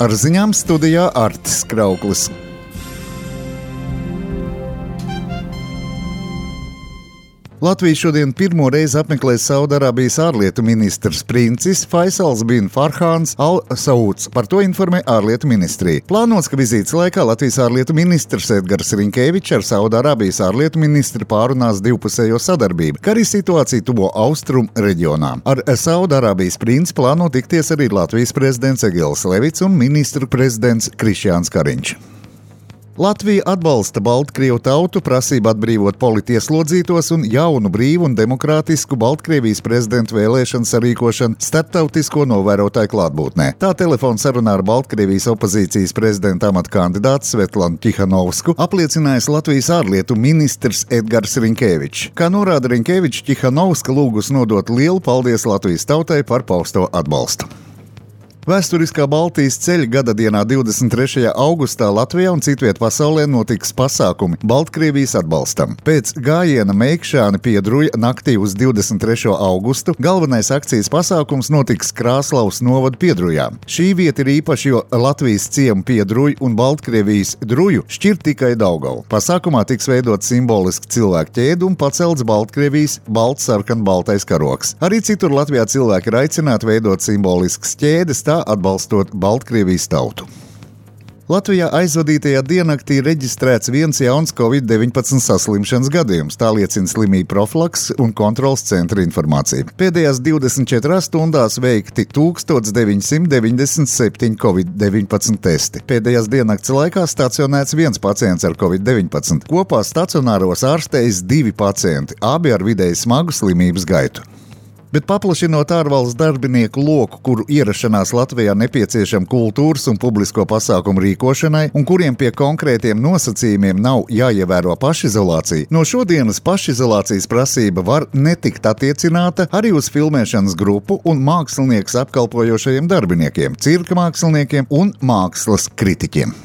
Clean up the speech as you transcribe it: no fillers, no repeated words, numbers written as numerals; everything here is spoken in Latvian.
Ar ziņām studijā Artis Krauklis. Latviju šodien pirmo reizi apmeklēs Saudarābijas ārlietu ministrs princis Faisals bin Farhāns Al Sauds. Par to informē ārlietu ministrija. Plānots, ka vizītes laikā Latvijas ārlietu ministrs Edgars Rinkevičs ar Saudarābijas ārlietu ministru pārunās divpusējo sadarbību, kā arī situāciju tuvo austrumu reģionā. Ar Saudarābijas princi plāno tikties arī Latvijas prezidents Egils Levits un ministru prezidents Krišjāns Kariņš. Latvija atbalsta Baltkrievu tautu prasību atbrīvot politieslodzītos un jaunu brīvu un demokrātisku Baltkrievijas prezidentu vēlēšanu sarīkošanu starptautisko novērotāju klātbūtnē. Tā telefona sarunā ar Baltkrievijas opozīcijas prezidenta amata kandidātu Svetlanu Tihanovsku apliecinājis Latvijas ārlietu ministrs Edgars Rinkevičs. Kā norāda Rinkevičs, Tihanovska lūgus nodot lielu paldies Latvijas tautai par pausto atbalstu. Vēsturiskā Baltijas ceļa gada dienā 23. augustā Latvijā un citviet pasaulē notiks pasākumi Baltkrievijas atbalstam. Pēc gājiena Meikšāni-Piedruja naktī uz 23. augustu galvenais akcijas pasākums notiks Krāslavas novada Piedrujā. Šī vieta ir īpaša, jo Latvijas ciemu Piedruju un Baltkrievijas Druju šķir tikai Daugavu. Pasākumā tiks veidot simboliski cilvēku ķēde un pacelts Baltkrievijas balts-sarkan-baltais karogs. Arī citur Latvijā cilvēki ir aicināti veidot simboliskas ķēdes, atbalstot Baltkrievijas tautu. Latvijā aizvadītajā diennaktī reģistrēts viens jauns Covid-19 saslimšanas gadījums, tā liecina slimību profilakses un kontrolas centra informācija. Pēdējās 24 stundās veikti 1997 Covid-19 testi. Pēdējās diennakts laikā stacionēts viens pacients ar Covid-19. Kopā stacionāros ārstējas 2 pacienti, abi ar vidēji smagu slimības gaitu. Bet paplašinot ārvalstu darbinieku loku, kuru ierašanās Latvijā nepieciešama kultūras un publisko pasākumu rīkošanai, un kuriem pie konkrētiem nosacījumiem nav jāievēro pašizolācija, no šodienas pašizolācijas prasība var netikt attiecināta arī uz filmēšanas grupu un māksliniekus apkalpojošajiem darbiniekiem, cirka māksliniekiem un mākslas kritiķiem.